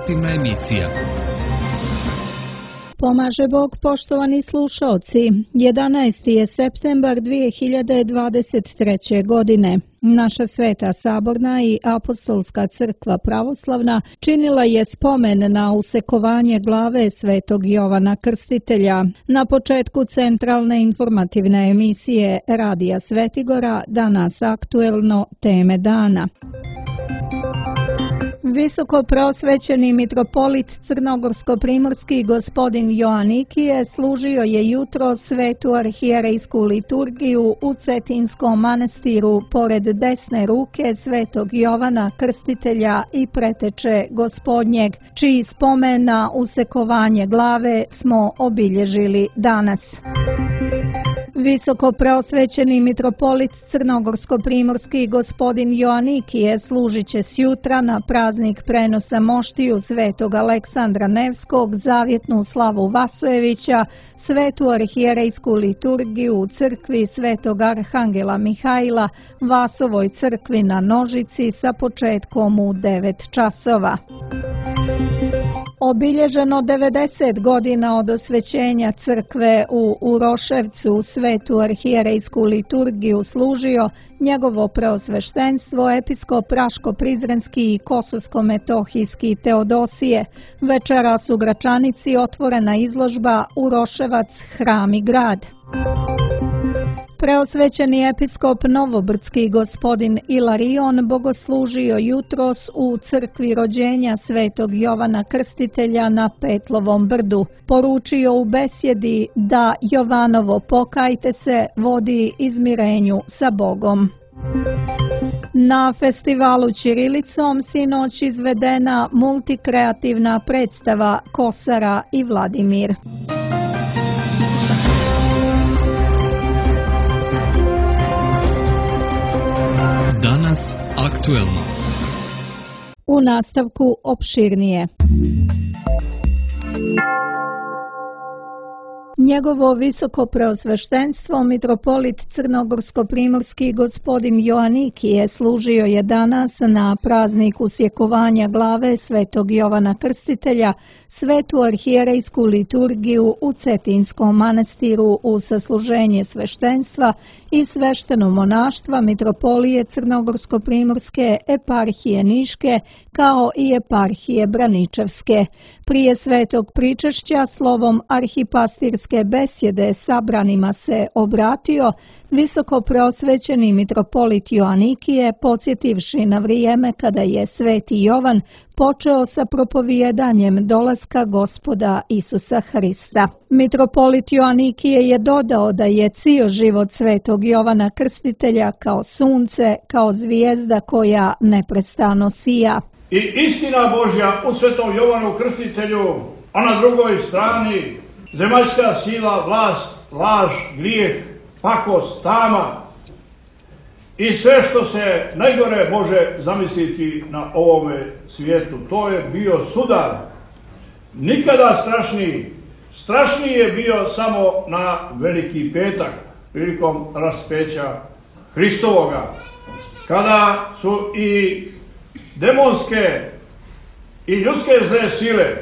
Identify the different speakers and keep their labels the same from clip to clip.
Speaker 1: informativna emisija.
Speaker 2: Pomaže Bog, poštovani slušalci. 11. je septembar 2023. godine. Naša Sveta Saborna i Apostolska crkva pravoslavna činila je spomen na usekovanje glave Svetog Jovana Krstitelja. Na početku centralne informativne emisije Radija Svetigora danas aktuelno teme dana. Visoko prosvećeni mitropolit crnogorsko-primorski gospodin Joanikije služio je jutro svetu arhijerejsku liturgiju u Cetinskom manastiru pored desne ruke Svetog Jovana Krstitelja i preteče Gospodnjeg, čiji spomen na usekovanje glave smo obilježili danas. Visoko preosvećeni mitropolit crnogorsko-primorski gospodin Joanikije služit će sjutra na praznik prenosa moštiju Svetog Aleksandra Nevskog, zavjetnu slavu Vasojevića, svetu arhijerejsku liturgiju u crkvi Svetog Arhangela Mihajla, Vasovoj crkvi na Nožici sa početkom u 9 časova. Obilježeno 90 godina od osvećenja crkve u Uroševcu, svetu arhijerejsku liturgiju služio njegovo preosveštenstvo episkop Raško-Prizrenski i Kosovsko-Metohijski Teodosije. Večeras u Gračanici otvorena izložba Uroševac, hram i grad. Preosvećeni episkop Novobrdski gospodin Ilarion bogoslužio jutros u crkvi rođenja Svetog Jovana Krstitelja na Petlovom brdu. Poručio u besjedi da Jovanovo pokajte se vodi izmirenju sa Bogom. Na festivalu ćirilicom sinoć izvedena multikreativna predstava Kosara i Vladimir.
Speaker 1: Danas aktuelno.
Speaker 2: U nastavku opširnije. Njegovo visoko preosveštenstvo mitropolit crnogorsko-primorski gospodin Joanikije služio je danas na praznik usjekovanja glave Svetog Jovana Krstitelja, svetu arhijerejsku liturgiju u Cetinskom manastiru u sasluženje sveštenstva i svešteno monaštva mitropolije crnogorsko-primorske, eparhije Niške kao i eparhije Braničevske. Prije svetog pričešća slovom arhipastirske besjede sabranima se obratio visoko preosvećeni mitropolit Joanikije, podsjetivši na vrijeme kada je Sveti Jovan počeo sa propovijedanjem dolaska Gospoda Isusa Hrista. Mitropolit Joanikije je dodao da je cijel život Svetog Jovana Krstitelja kao sunce, kao zvijezda koja neprestano sija.
Speaker 3: I istina Božja u Svetom Jovanu Krstitelju, a na drugoj strani zemaljska sila, vlast, laž, grijeh, pakost, tama i sve što se najgore može zamisliti na ovome svijetu. To je bio sudar. Nikada strašniji. Strašniji je bio samo na Veliki petak, prilikom raspeća Hristovoga, kada su i demonske i ljudske zle sile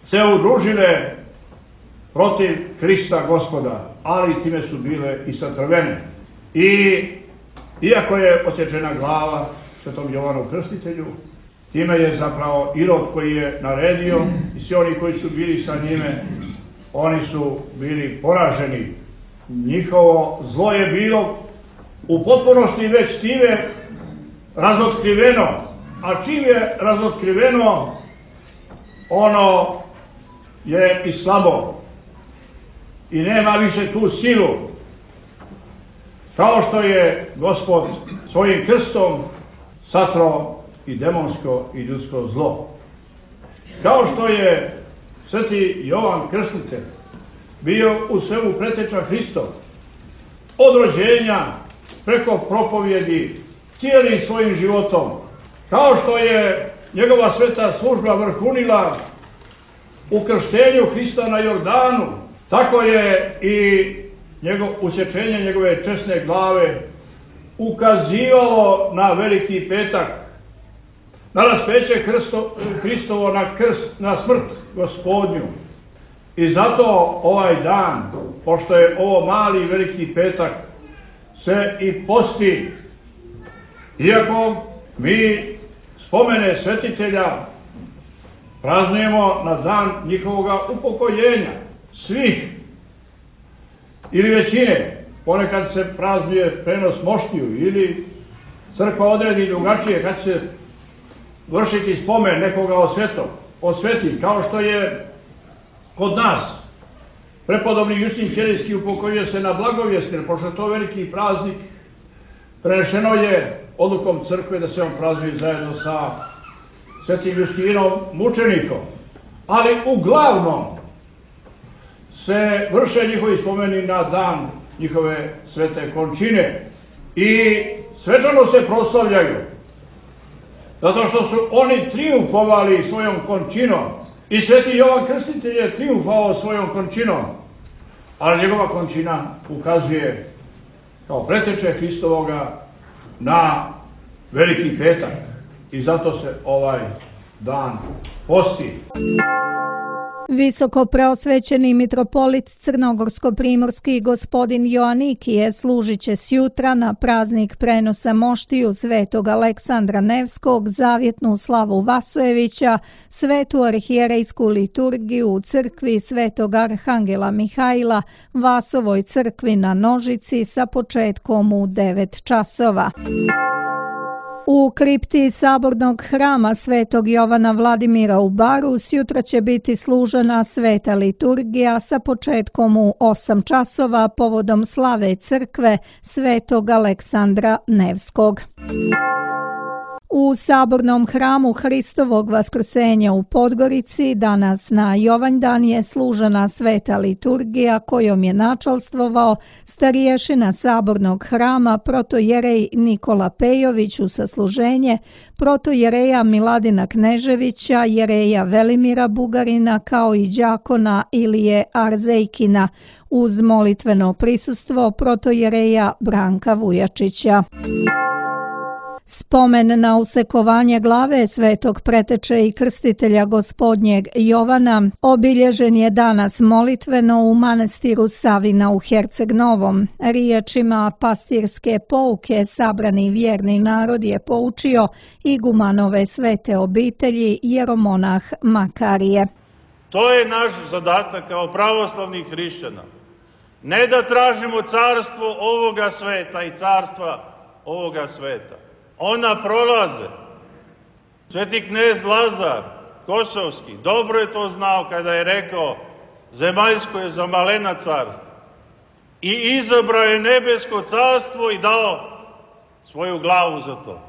Speaker 3: se udružile protiv Hrista Gospoda, ali time su bile i satrvene. I iako je odsječena glava Svetom Jovanu Krstitelju, time je zapravo Irod koji je naredio i svi oni koji su bili sa njime, oni su bili poraženi. Njihovo zlo je bilo u potpunosti već time razotkriveno, a čim je razotkriveno, ono je i slabo i nema više tu silu, kao što je Gospod svojim krstom satrao i demonsko i ljudsko zlo. Kao što je Sveti Jovan Krstitelj bio u svemu preteča Hristov, od rođenja preko propovjedi, cijelim svojim životom, kao što je njegova sveta služba vrhunila u krštenju Hrista na Jordanu, tako je i usječenje njegove česne glave ukazivalo na Veliki petak, da nas peće Hristovo na smrt Gospodnju. I zato ovaj dan, pošto je ovo mali i veliki petak, se i posti. Iako mi spomene svetitelja praznujemo na dan njihovoga upokojenja, svih ili većine. Ponekad se praznuje prenos moštiju ili crkva odredi drugačije kad se vršiti spomen nekoga osveti, kao što je kod nas. Prepodobni Justin Ćelijski upokojio se na Blagovjestir, pošto je to veliki praznik, prenešeno je odlukom crkve da se on praznuje zajedno sa svetim Justinom mučenikom. Ali uglavnom se vrše njihovi spomeni na dan njihove svete končine i svečano se proslavljaju, zato što su oni trijumfovali svojom končinom i sveti Jovan Krstitelj je trijumfovao svojom končinom, ali njegova končina ukazuje kao preteče Hristovoga na veliki petak i zato se ovaj dan posti.
Speaker 2: Visoko preosvećeni mitropolit Crnogorsko-primorski gospodin Joanikije služit će sjutra na praznik prenosa moštiju svetog Aleksandra Nevskog, zavjetnu slavu Vasojevića, svetu arhijerejsku liturgiju u crkvi svetog Arhangela Mihajla, Vasovoj crkvi na Nožici sa početkom u 9 časova. U kripti sabornog hrama svetog Jovana Vladimira u Baru sjutra će biti služena sveta liturgija sa početkom u 8 časova povodom slave crkve svetog Aleksandra Nevskog. U sabornom hramu Hristovog vaskrsenja u Podgorici danas na Jovanjdan je služena sveta liturgija kojom je načalstvovao starješina sabornog hrama protojerej Nikola Pejović u sasluženje, protojereja Miladina Kneževića, jereja Velimira Bugarina kao i đakona Ilije Arzejkina uz molitveno prisustvo protojereja Branka Vujačića. Spomen na usekovanje glave svetog preteče i krstitelja gospodnjeg Jovana obilježen je danas molitveno u manastiru Savina u Herceg Novom. Riječima pastirske pouke sabrani vjerni narod je poučio igumanove svete obitelji jeromonah Makarije.
Speaker 4: To je naš zadatak kao pravoslavnih hrišćana. Ne da tražimo carstvo ovoga sveta i carstva ovoga sveta. Ona prolaze. Sveti knez Lazar Kosovski dobro je to znao kada je rekao zemaljsko je za malena carstvo. I izabrao je nebesko carstvo i dao svoju glavu za to.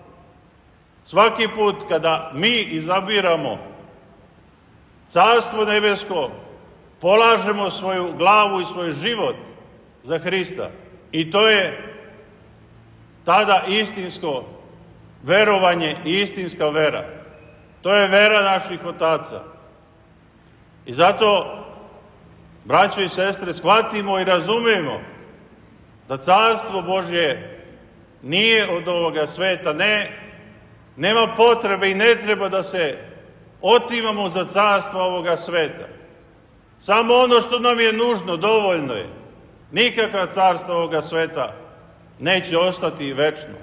Speaker 4: Svaki put kada mi izabiramo carstvo nebesko, polažemo svoju glavu i svoj život za Hrista. I to je tada istinsko verovanje i istinska vera. To je vera naših otaca. I zato, braćo i sestre, shvatimo i razumemo da carstvo Božje nije od ovoga sveta, nema potrebe i ne treba da se otimamo za carstvo ovoga sveta. Samo ono što nam je nužno, dovoljno je. Nikakva carstva ovoga sveta neće ostati večno.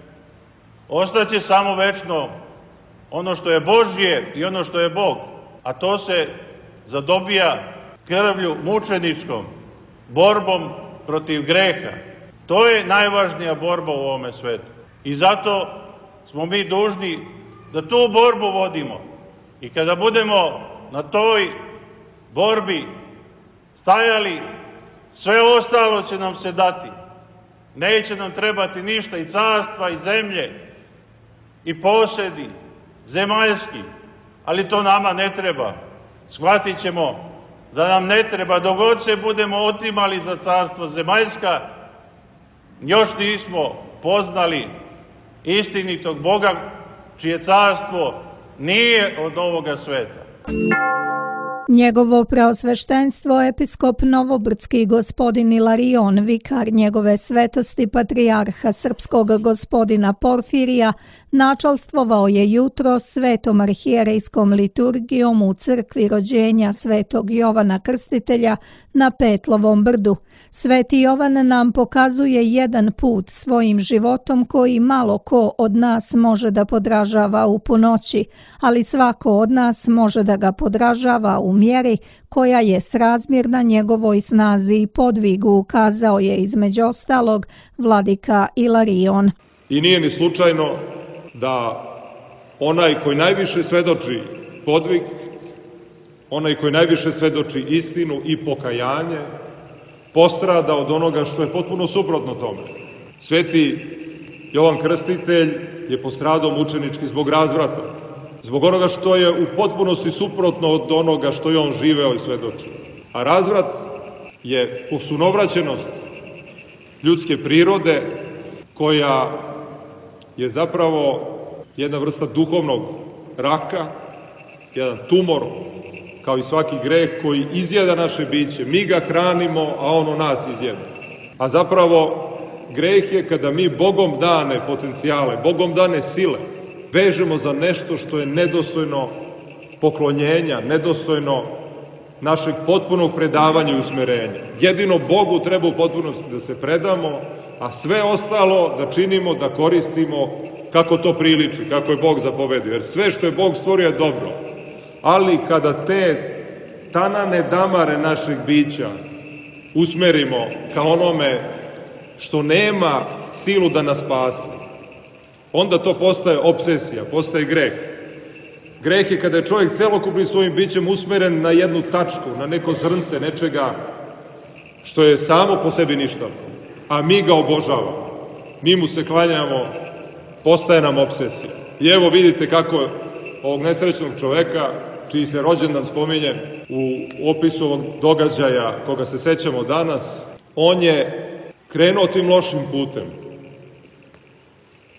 Speaker 4: Ostaće samo večno ono što je Božje i ono što je Bog, a to se zadobija krvlju mučeničkom, borbom protiv greha. To je najvažnija borba u ovome svetu. I zato smo mi dužni da tu borbu vodimo. I kada budemo na toj borbi stajali, sve ostalo će nam se dati. Neće nam trebati ništa, i carstva, i zemlje, i posedi, zemaljski, ali to nama ne treba. Shvatit ćemo da nam ne treba, dok god se budemo otimali za carstvo zemaljska, još nismo poznali istinitog Boga, čije carstvo nije od ovoga sveta.
Speaker 2: Njegovo preosveštenstvo episkop Novobrdski gospodin Ilarion, vikar njegove svetosti patrijarha srpskog gospodina Porfirija, načalstvovao je jutro svetom arhijerejskom liturgijom u crkvi rođenja svetog Jovana Krstitelja na Petlovom brdu. Sveti Jovan nam pokazuje jedan put svojim životom koji malo ko od nas može da podražava u punoći, ali svako od nas može da ga podražava u mjeri koja je srazmjerna njegovoj snazi i podvigu, kazao je između ostalog vladika Ilarion.
Speaker 5: I nije ni slučajno da onaj koji najviše svedoči podvig, onaj koji najviše svedoči istinu i pokajanje, postrada od onoga što je potpuno suprotno tome. Sveti Jovan Krstitelj je postradao mučenički zbog razvrata, zbog onoga što je u potpunosti suprotno od onoga što je on živeo i svedočio. A razvrat je sunovraćenost ljudske prirode koja je zapravo jedna vrsta duhovnog raka, jedan tumor, kao i svaki greh koji izjeda naše biće. Mi ga hranimo, a ono nas izjeda. A zapravo greh je kada mi Bogom dane potencijale, Bogom dane sile, vežemo za nešto što je nedostojno poklonjenja, nedostojno našeg potpunog predavanja i usmerenja. Jedino Bogu treba u potpunosti da se predamo, a sve ostalo da činimo, da koristimo kako to priliči, kako je Bog zapovedio. Jer sve što je Bog stvorio je dobro. Ali kada te tanane damare našeg bića usmerimo ka onome što nema silu da nas spasi, onda to postaje obsesija, postaje greh. Greh je kada je čovjek celokupnim svojim bićem usmeren na jednu tačku, na neko zrnce nečega što je samo po sebi ništavno, a mi ga obožavamo. Mi mu se klanjamo, postaje nam obsesija. I evo vidite kako ovog nesrećnog čoveka, čiji se rođendan spominje u opisu ovog događaja koga se sećamo danas, on je krenuo tim lošim putem.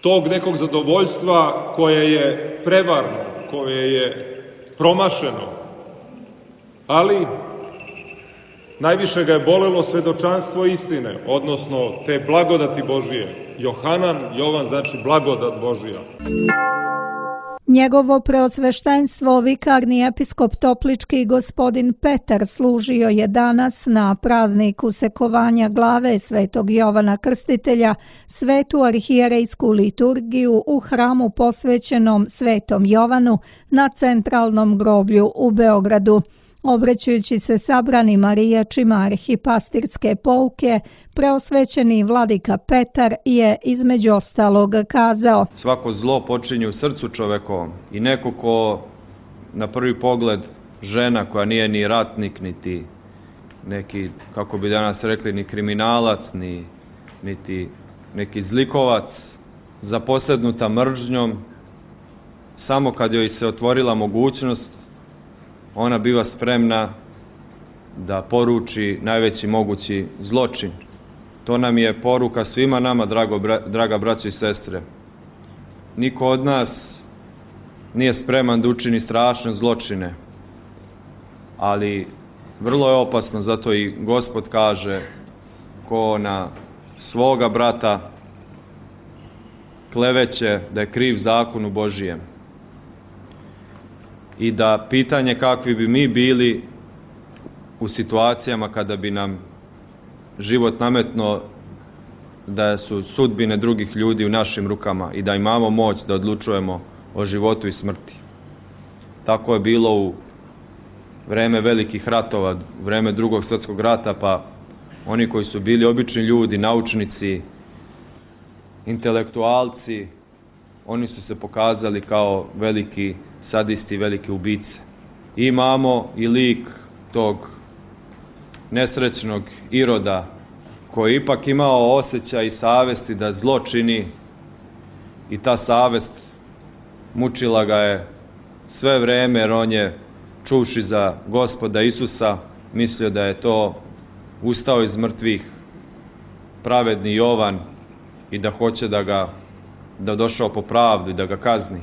Speaker 5: Tog nekog zadovoljstva koje je prevarno, koje je promašeno, ali najviše ga je bolelo svedočanstvo istine, odnosno te blagodati Božije. Jovan znači blagodat Božija.
Speaker 2: Njegovo preosveštenstvo, vikarni episkop Toplički gospodin Petar, služio je danas na prazniku sekovanja glave svetog Jovana Krstitelja svetu arhijerejsku liturgiju u hramu posvećenom svetom Jovanu na centralnom groblju u Beogradu. Obraćajući se sabranima riječima arhipastirske pouke, preosvećeni vladika Petar je između ostalog kazao:
Speaker 6: svako zlo počinje u srcu čovekovom i neko ko na prvi pogled žena koja nije ni ratnik, niti neki, kako bi danas rekli, ni kriminalac, niti neki zlikovac, zaposednuta mržnjom, samo kad joj se otvorila mogućnost, ona biva spremna da poruči najveći mogući zločin. To nam je poruka svima nama, draga braćo i sestre. Niko od nas nije spreman da učini strašne zločine, ali vrlo je opasno, zato i Gospod kaže: ko na svoga brata kleveće da je kriv zakonu Božijem. I da pitanje kakvi bi mi bili u situacijama kada bi nam život nametno da su sudbine drugih ljudi u našim rukama i da imamo moć da odlučujemo o životu i smrti. Tako je bilo u vreme velikih ratova, u vreme Drugog svjetskog rata, pa oni koji su bili obični ljudi, naučnici, intelektualci, oni su se pokazali kao veliki sadisti, velike ubice. Imamo i lik tog nesrećnog Iroda, koji je ipak imao osjećaj i savesti da zlo čini, i ta savest mučila ga je sve vreme, jer on je, čuvši za Gospoda Isusa, mislio da je to ustao iz mrtvih pravedni Jovan i da hoće da došao po pravdu i da ga kazni.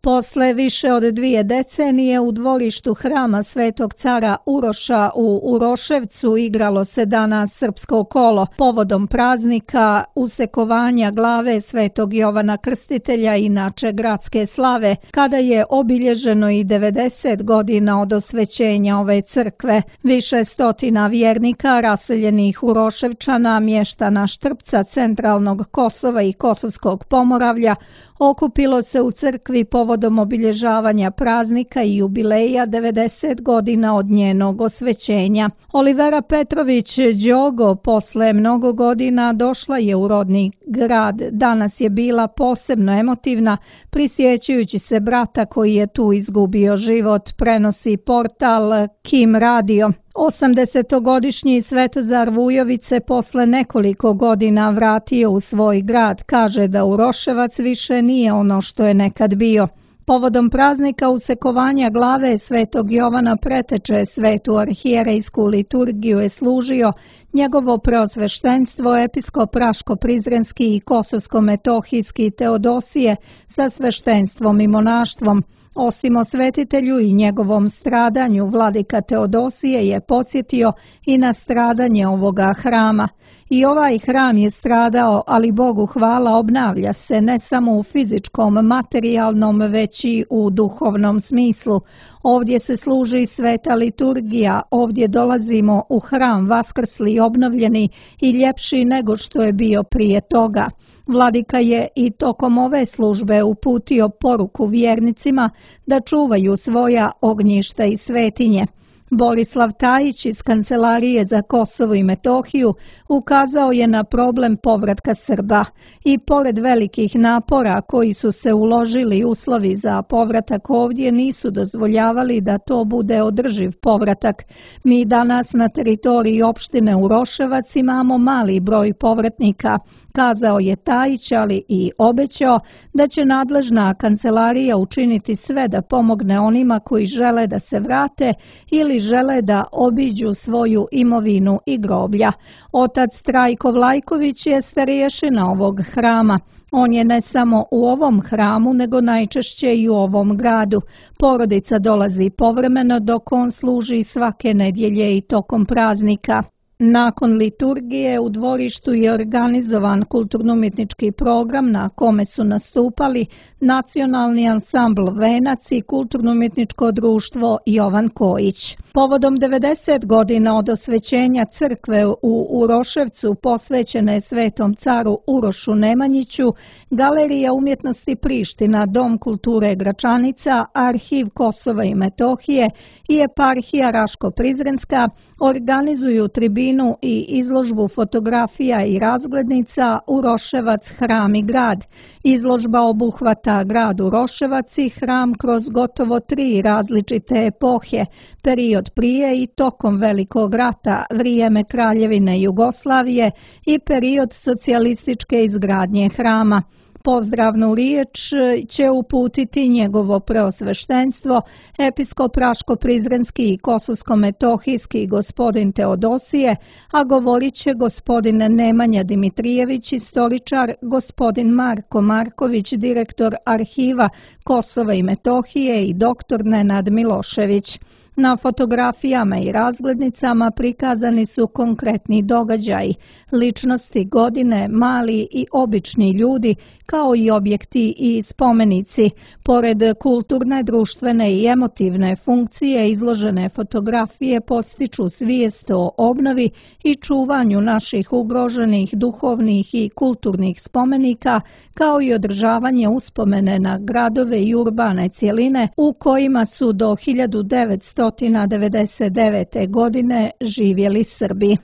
Speaker 2: Posle više od 2 decenije u dvorištu hrama Svetog cara Uroša u Uroševcu igralo se danas srpsko kolo povodom praznika usekovanja glave Svetog Jovana Krstitelja, inače gradske slave, kada je obilježeno i 90 godina od osvećenja ove crkve. Više stotina vjernika raseljenih Uroševčana, mještana Štrpca, centralnog Kosova i Kosovskog Pomoravlja okupilo se u crkvi povodom obilježavanja praznika i jubileja 90 godina od njenog osvećenja. Olivera Petrović Đogo posle mnogo godina došla je u rodni grad. Danas je bila posebno emotivna, prisjećajući se brata koji je tu izgubio život, prenosi portal Kim Radio. 80-godišnji Svetozar Vujović se posle nekoliko godina vratio u svoj grad. Kaže da Uroševac više nije ono što je nekad bio. Povodom praznika usekovanja glave Svetog Jovana Preteče svetu arhijerejsku liturgiju je služio njegovo preosveštenstvo episkop Raško-Prizrenski i Kosovsko-Metohijski Teodosije sa sveštenstvom i monaštvom. Osim osvetitelju i njegovom stradanju, vladika Teodosije je podsjetio i na stradanje ovoga hrama. I ovaj hram je stradao, ali Bogu hvala obnavlja se ne samo u fizičkom, materijalnom, već i u duhovnom smislu. Ovdje se služi sveta liturgija, ovdje dolazimo u hram vaskrsli, obnovljeni i ljepši nego što je bio prije toga. Vladika je i tokom ove službe uputio poruku vjernicima da čuvaju svoja ognjišta i svetinje. Borislav Tajić iz Kancelarije za Kosovo i Metohiju ukazao je na problem povratka Srba i pored velikih napora koji su se uložili, uslovi za povratak ovdje nisu dozvoljavali da to bude održiv povratak. Mi danas na teritoriji opštine Uroševac imamo mali broj povratnika, kazao je Tajić, ali i obećao da će nadležna kancelarija učiniti sve da pomogne onima koji žele da se vrate ili žele da obiđu svoju imovinu i groblja. Otac Trajko Vlajković je starješina ovog hrama. On je ne samo u ovom hramu, nego najčešće i u ovom gradu. Porodica dolazi povremeno dok on služi svake nedjelje i tokom praznika. Nakon liturgije u dvorištu je organizovan kulturno-umjetnički program na kome su nastupali nacionalni ansambl Venac i kulturno-umjetničko društvo Jovan Kojić. Povodom 90 godina od osvećenja crkve u Uroševcu posvećene Svetom caru Urošu Nemanjiću, Galerija umjetnosti Priština, Dom kulture Gračanica, Arhiv Kosova i Metohije i Eparhija Raško-Prizrenska organizuju tribinu i izložbu fotografija i razglednica Uroševac, hram i grad. Izložba obuhvata grad Uroševac i hram kroz gotovo 3 različite epohe, period prije i tokom Velikog rata, vrijeme Kraljevine Jugoslavije i period socijalističke izgradnje hrama. Pozdravnu riječ će uputiti njegovo preosveštenstvo, episkop Raško-Prizrenski i Kosovsko-Metohijski gospodin Teodosije, a govorit će gospodin Nemanja Dimitrijević, istoričar, gospodin Marko Marković, direktor Arhiva Kosova i Metohije i doktor Nenad Milošević. Na fotografijama i razglednicama prikazani su konkretni događaji, ličnosti, godine, mali i obični ljudi, kao i objekti i spomenici. Pored kulturne, društvene i emotivne funkcije, izložene fotografije postiču svijest o obnovi i čuvanju naših ugroženih duhovnih i kulturnih spomenika, kao i održavanje uspomene na gradove i urbane cjeline u kojima su do 1999. godine živjeli Srbi.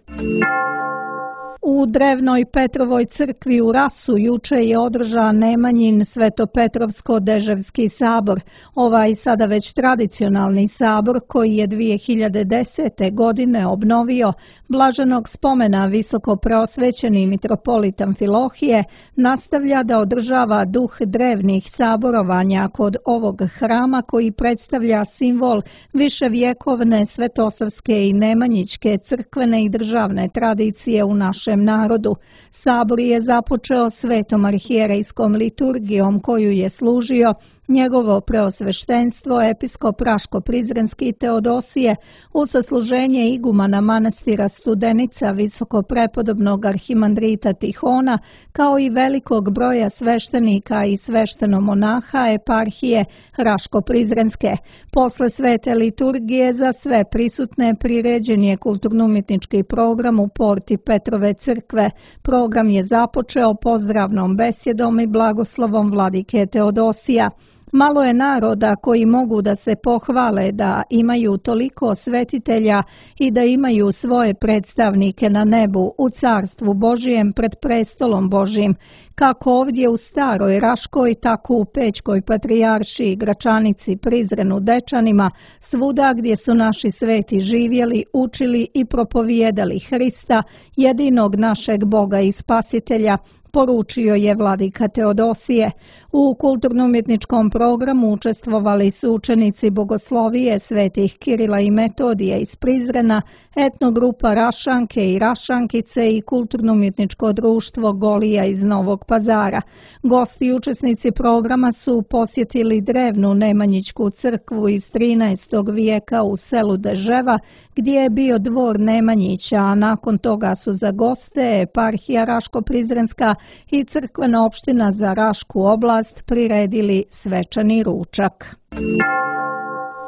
Speaker 2: U drevnoj Petrovoj crkvi u Rasu juče je održan Nemanjin Svetopetrovsko-Deževski sabor. Ovaj sada već tradicionalni sabor koji je 2010. godine obnovio blaženog spomena visoko preosvećeni mitropolit Amfilohije, nastavlja da održava duh drevnih saborovanja kod ovog hrama koji predstavlja simbol viševjekovne svetosavske i nemanjićke crkvene i državne tradicije u našem narodu. Sabor je započeo svetom arhijerejskom liturgijom koju je služio Njegovo preosveštenstvo, episkop Raško-Prizrenski Teodosije, u sasluženje igumana manastira Studenica, visokoprepodobnog arhimandrita Tihona, kao i velikog broja sveštenika i sveštenomonaha eparhije Raško-Prizrenske. Posle svete liturgije za sve prisutne priređen je kulturno-umjetnički program u porti Petrove crkve. Program je započeo pozdravnom besjedom i blagoslovom vladike Teodosija. Malo je naroda koji mogu da se pohvale da imaju toliko svetitelja i da imaju svoje predstavnike na nebu u carstvu Božijem pred prestolom Božijim, kako ovdje u Staroj Raškoj, tako u Pećkoj patrijaršiji, Gračanici, Prizrenu, Dečanima, svuda gdje su naši sveti živjeli, učili i propovijedali Hrista, jedinog našeg Boga i Spasitelja, poručio je vladika Teodosije. U kulturno-umjetničkom programu učestvovali su učenici bogoslovije svetih Kirila i Metodija iz Prizrena, etnogrupa Rašanke i Rašankice i kulturno-umjetničko društvo Golija iz Novog Pazara. Gosti i učesnici programa su posjetili drevnu Nemanjićku crkvu iz 13. vijeka u selu Deževa, gdje je bio dvor Nemanjića, a nakon toga su za goste eparhija Raško-Prizrenska i crkvena opština za Rašku oblast priredili svečani ručak.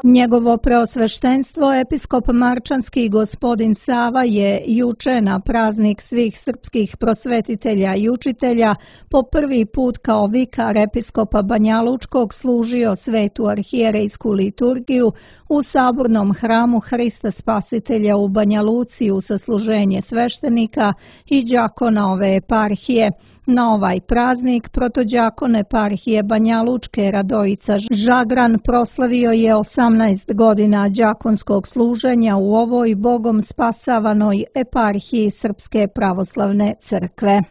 Speaker 2: Njegovo preosveštenstvo, episkop Marčanski gospodin Sava, je juče na praznik svih srpskih prosvetitelja i učitelja po prvi put kao vikar episkopa Banjalučkog služio svetu arhijerejsku liturgiju u sabornom hramu Hrista Spasitelja u Banja Luci u sasluženje sveštenika i đakona ove eparhije. Na ovaj praznik protođakon eparhije Banja Lučke Radojica Žagran proslavio je 18 godina đakonskog služenja u ovoj Bogom spasavanoj eparhiji Srpske pravoslavne crkve.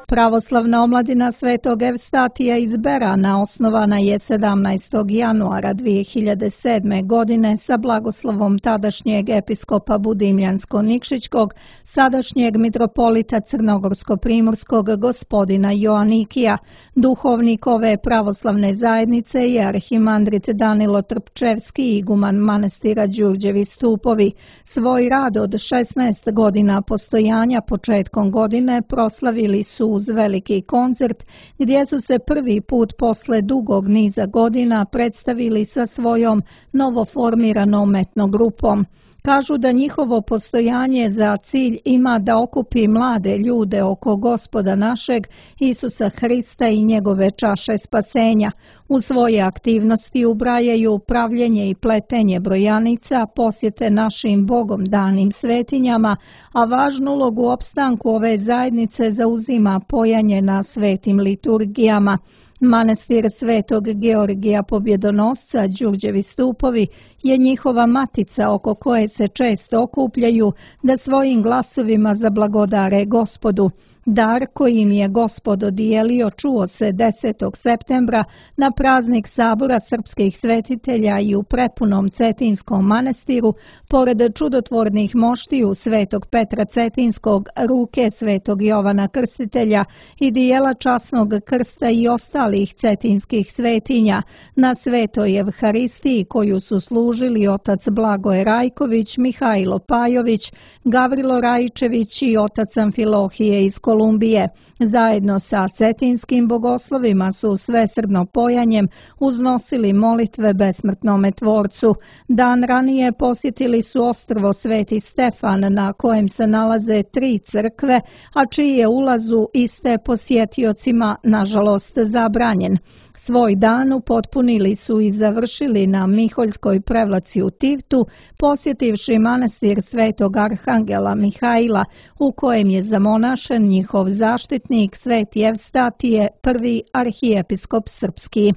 Speaker 2: Pravoslavna omladina Svetog Evstatija iz Berana osnovana je 17. januara 2007. godine sa blagoslovom tadašnjeg episkopa Budimljansko-Nikšićkog, sadašnjeg mitropolita Crnogorsko-Primorskog gospodina Joanikija. Duhovnik ove pravoslavne zajednice je arhimandrit Danilo Trpčevski, iguman manastira Đurđevi Stupovi. Svoj rad od 16 godina postojanja početkom godine proslavili su uz veliki koncert, gdje su se prvi put posle dugog niza godina predstavili sa svojom novoformiranom etnogrupom. Kažu da njihovo postojanje za cilj ima da okupi mlade ljude oko Gospoda našeg Isusa Hrista i njegove čaše spasenja. U svoje aktivnosti ubrajaju pravljenje i pletenje brojanica, posjete našim Bogom danim svetinjama, a važnu ulogu u opstanku ove zajednice zauzima pojanje na svetim liturgijama. Manastir Svetog Georgija Pobjedonosca Đurđevi Stupovi je njihova matica oko koje se često okupljaju da svojim glasovima zablagodare Gospodu. Dar koji im je Gospod dodijelio čuo se 10. septembra na praznik sabora srpskih svetitelja i u prepunom Cetinskom manastiru, pored čudotvornih moštiju Svetog Petra Cetinskog, ruke Svetog Jovana Krstitelja i dijela časnog krsta i ostalih cetinskih svetinja. Na Svetoj Evharistiji koju su služili otac Blagoje Rajković, Mihajlo Pajović, Gavrilo Rajčević i otac Amfilohije iz Kolumbije. Zajedno sa cetinskim bogoslovima su svesrdno pojanjem uznosili molitve besmrtnome tvorcu. Dan ranije posjetili su ostrvo Sveti Stefan, na kojem se nalaze 3 crkve, a čiji je ulaz u iste posjetiocima nažalost zabranjen. Svoj dan upotpunili su i završili na Miholjskoj prevlaci u Tivtu, posjetivši manastir Svetog Arhangela Mihajla, u kojem je zamonašen njihov zaštitnik Sveti Evstatije, prvi arhijepiskop srpski.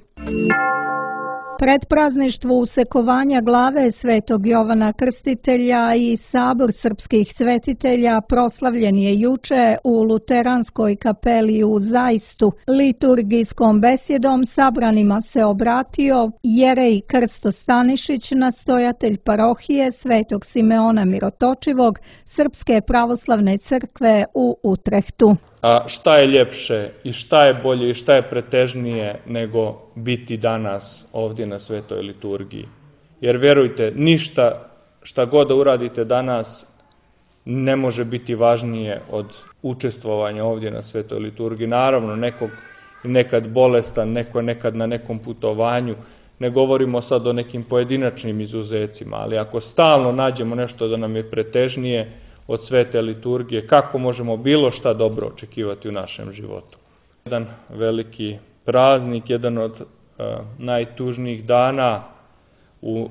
Speaker 2: Predprazništvo usekovanja glave svetog Jovana Krstitelja i sabor srpskih svetitelja proslavljen je juče u Luteranskoj kapeli u Zajstu. Liturgijskom besjedom sabranima se obratio jerej Krsto Stanišić, nastojatelj parohije svetog Simeona Mirotočivog Srpske pravoslavne crkve u Utrehtu.
Speaker 7: A šta je ljepše i šta je bolje i šta je pretežnije nego biti danas ovdje na svetoj liturgiji? Jer verujte, ništa šta god da uradite danas ne može biti važnije od učestvovanja ovdje na svetoj liturgiji. Naravno, nekog nekad bolestan, neko je nekad na nekom putovanju, ne govorimo sad o nekim pojedinačnim izuzecima, ali ako stalno nađemo nešto da nam je pretežnije od svete liturgije, kako možemo bilo šta dobro očekivati u našem životu? Jedan veliki praznik, jedan od najtužnijih dana u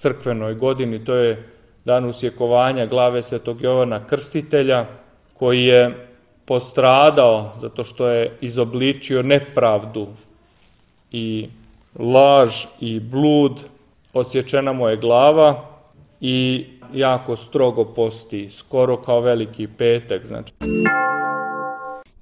Speaker 7: crkvenoj godini, to je dan usjekovanja glave svetog Jovana Krstitelja, koji je postradao zato što je izobličio nepravdu i laž i blud. Odsječena mu je glava i jako strogo posti, skoro kao Veliki petak.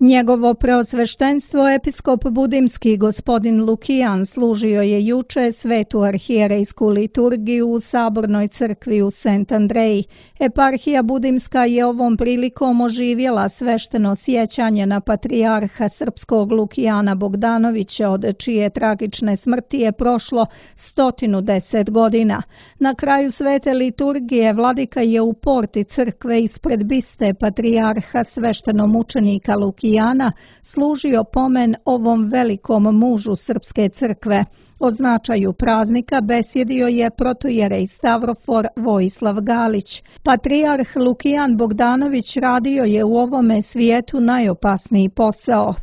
Speaker 2: Njegovo preosveštenstvo episkop budimski gospodin Lukijan služio je juče svetu arhijerejsku liturgiju u sabornoj crkvi u Sent Andreji. Eparhija budimska je ovom prilikom oživjela svešteno sjećanje na patrijarha srpskog Lukijana Bogdanovića, od čije tragične smrti je prošlo 110 godina. Na kraju svete liturgije vladika je u porti crkve ispred biste patrijarha sveštenomučenika Lukijana služio pomen ovom velikom mužu srpske crkve. O značaju praznika besjedio je protojerej Stavrofor Vojislav Galić. Patrijarh Lukijan Bogdanović radio je u ovome svijetu najopasniji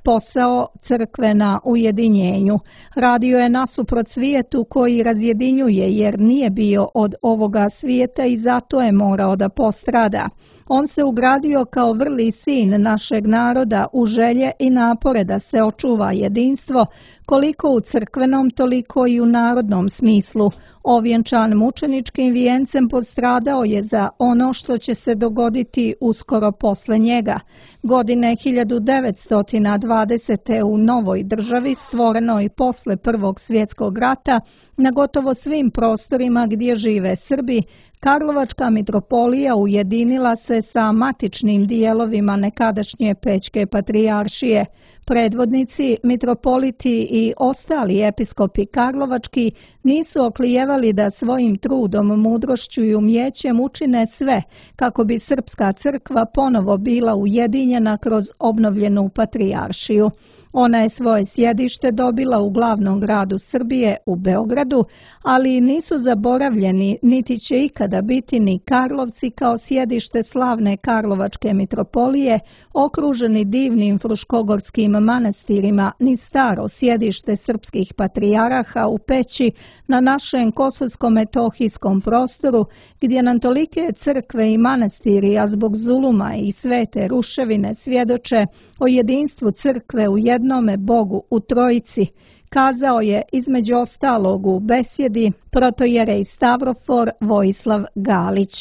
Speaker 2: posao crkve na ujedinjenju. Radio je nasuprot svijetu koji razjedinjuje, jer nije bio od ovoga svijeta i zato je morao da postrada. On se ugradio kao vrli sin našeg naroda u želje i napore da se očuva jedinstvo, koliko u crkvenom, toliko i u narodnom smislu. Ovjenčan mučeničkim vijencem postradao je za ono što će se dogoditi uskoro posle njega. Godine 1920. u novoj državi, stvorenoj posle Prvog svjetskog rata, na gotovo svim prostorima gdje žive Srbi, Karlovačka mitropolija ujedinila se sa matičnim dijelovima nekadašnje Pećke patrijaršije. Predvodnici, mitropoliti i ostali episkopi karlovački nisu oklijevali da svojim trudom, mudrošću i umjećem učine sve kako bi srpska crkva ponovo bila ujedinjena kroz obnovljenu patrijaršiju. Ona je svoje sjedište dobila u glavnom gradu Srbije, u Beogradu, ali nisu zaboravljeni, niti će ikada biti ni Karlovci kao sjedište slavne Karlovačke mitropolije, okruženi divnim fruškogorskim manastirima, ni staro sjedište srpskih patrijaraha u Peći na našem kosovsko-metohijskom prostoru, gdje nam tolike crkve i manastiri, a zbog zuluma i svete ruševine svjedoče o jedinstvu crkve u jednome Bogu u Trojici, kazao je između ostalog u besjedi protojerej Stavrofor Vojislav Galić.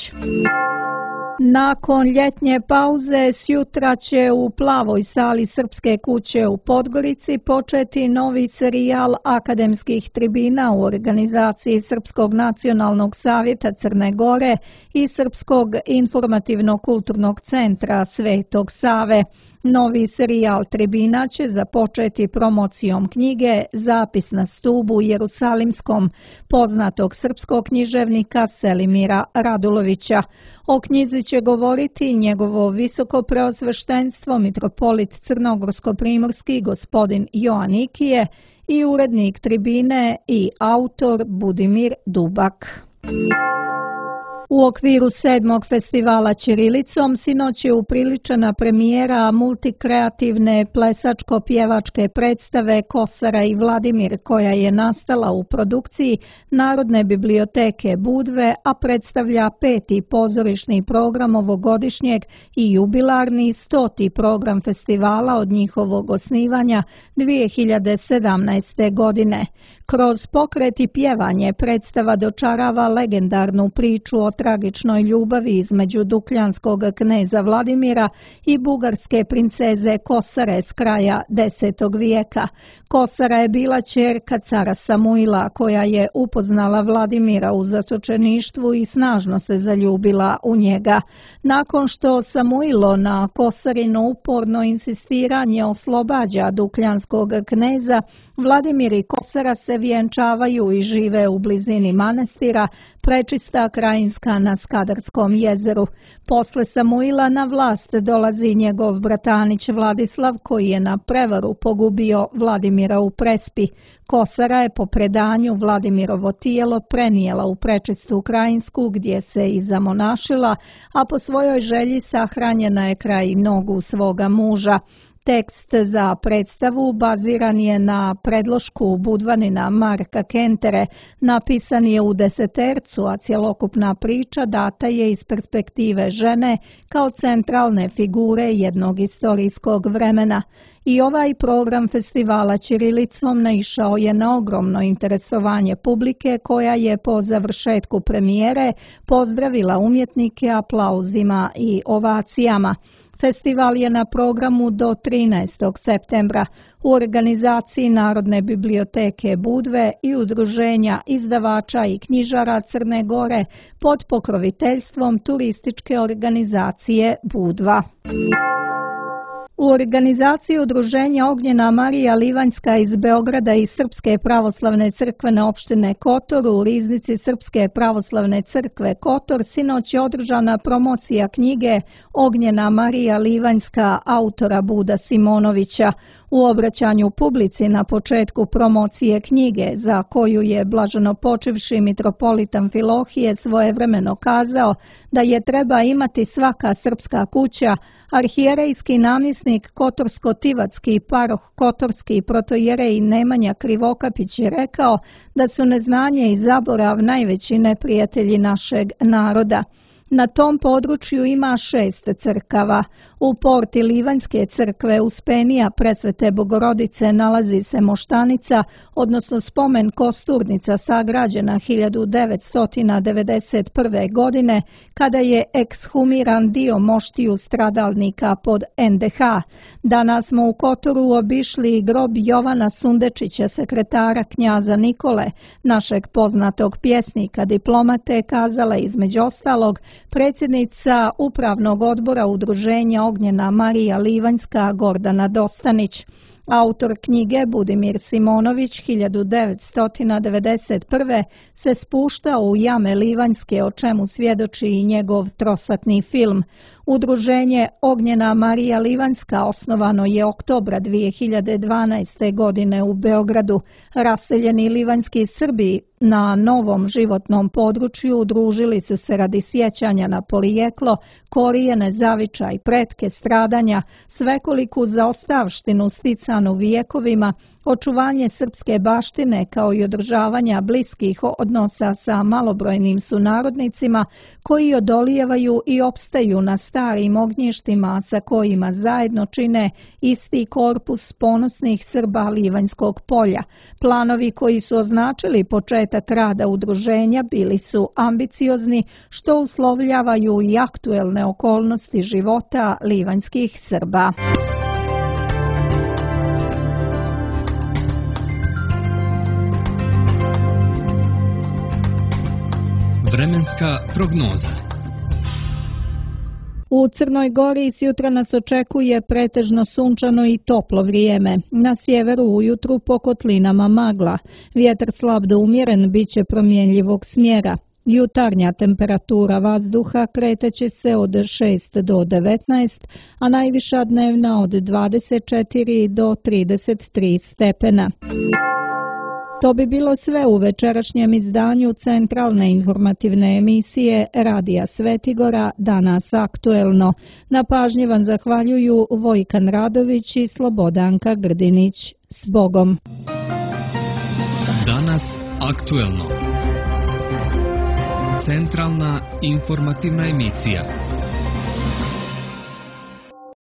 Speaker 2: Nakon ljetnje pauze sjutra će u Plavoj sali Srpske kuće u Podgorici početi novi serijal akademskih tribina u organizaciji Srpskog nacionalnog savjeta Crne Gore i Srpskog informativno-kulturnog centra Svetog Save. Novi serijal tribina će započeti promocijom knjige Zapis na stubu Jerusalimskom poznatog srpskog književnika Selimira Radulovića. O knjizi će govoriti njegovo visoko preosveštenstvo mitropolit crnogorsko-primorski gospodin Joanikije i urednik tribine i autor Budimir Dubak. U okviru 7. festivala Ćirilicom sinoć je upriličena premijera multikreativne plesačko-pjevačke predstave Kosara i Vladimir, koja je nastala u produkciji Narodne biblioteke Budve, a predstavlja 5. pozorišni program ovogodišnjeg i jubilarni 100. program festivala od njihovog osnivanja 2017. godine. Kroz pokret i pjevanje predstava dočarava legendarnu priču o tragičnoj ljubavi između dukljanskog kneza Vladimira i bugarske princeze Kosare s kraja X. vijeka. Kosara je bila ćerka cara Samuila koja je upoznala Vladimira u zatočeništvu i snažno se zaljubila u njega. Nakon što Samuilo na Kosarino uporno insistiranje oslobađa dukljanskog kneza, Vladimir i Kosara se vjenčavaju i žive u blizini manastira Prečista Krajinska na Skadarskom jezeru. Posle Samuila na vlast dolazi njegov bratanić Vladislav koji je na prevaru pogubio Vladimira u Prespi. Kosara je po predanju Vladimirovo tijelo prenijela u Prečistu Krajinsku gdje se i zamonašila, a po svojoj želji sahranjena je kraj nogu svoga muža. Tekst za predstavu baziran je na predlošku Budvanina Marka Kentere, napisan je u desetercu, a cjelokupna priča data je iz perspektive žene kao centralne figure jednog istorijskog vremena. I ovaj program festivala ćirilicom naišao je na ogromno interesovanje publike koja je po završetku premijere pozdravila umjetnike aplauzima i ovacijama. Festival je na programu do 13. septembra u organizaciji Narodne biblioteke Budve i udruženja izdavača i knjižara Crne Gore pod pokroviteljstvom turističke organizacije Budva. U organizaciji udruženja Ognjena Marija Livanjska iz Beograda i Srpske pravoslavne crkvene opštine Kotor u riznici Srpske pravoslavne crkve Kotor sinoć je održana promocija knjige Ognjena Marija Livanjska autora Buda Simonovića. U obraćanju publici na početku promocije knjige, za koju je blaženopočivši mitropolit Amfilohije svojevremeno kazao da je treba imati svaka srpska kuća, arhijerejski namjesnik Kotorsko-Tivatski paroh Kotorski protojerej Nemanja Krivokapić je rekao da su neznanje i zaborav najveći neprijatelji našeg naroda. Na tom području ima 6 crkava. U porti Livanjske crkve Uspenija Presvete Bogorodice nalazi se moštanica, odnosno spomen kosturnica sagrađena 1991. godine, kada je ekshumiran dio moštiju stradalnika pod NDH. Danas smo u Kotoru obišli grob Jovana Sundečića, sekretara knjaza Nikole, našeg poznatog pjesnika, diplomate, kazala između ostalog predsjednica Upravnog odbora udruženja Ognjena Marija Livanjska Gordana Dostanić. Autor knjige Budimir Simonović 1991. se spuštao u jame Livanjske, o čemu svjedoči i njegov trosatni film. Udruženje Ognjena Marija Livanjska osnovano je oktobra 2012. godine u Beogradu. Raseljeni livanjski Srbi na novom životnom području udružili su se radi sjećanja na porijeklo, korijene, zavičaj, pretke, stradanja, svekoliku zaostavštinu sticanu vijekovima, očuvanje srpske baštine kao i održavanja bliskih odnosa sa malobrojnim sunarodnicima koji odolijevaju i opstaju na starim ognjištima sa kojima zajedno čine isti korpus ponosnih Srba Livanjskog polja. Planovi koji su označili početak rada udruženja bili su ambiciozni, što uslovljavaju i aktuelne okolnosti života livanjskih Srba.
Speaker 1: Vremenska prognoza.
Speaker 2: U Crnoj Gori sjutra nas očekuje pretežno sunčano i toplo vrijeme. Na sjeveru ujutru po kotlinama magla. Vjetar slab do umjeren bit će promjenjivog smjera. Jutarnja temperatura vazduha kreteće se od 6 do 19, a najviša dnevna od 24 do 33 stepena. To bi bilo sve u večerašnjem izdanju centralne informativne emisije Radija Svetigora, Danas aktuelno. Na pažnji vam zahvaljuju Vojkan Radović i Slobodanka Grdinić. S Bogom!
Speaker 1: Danas aktuelno. Centralna informativna emisija.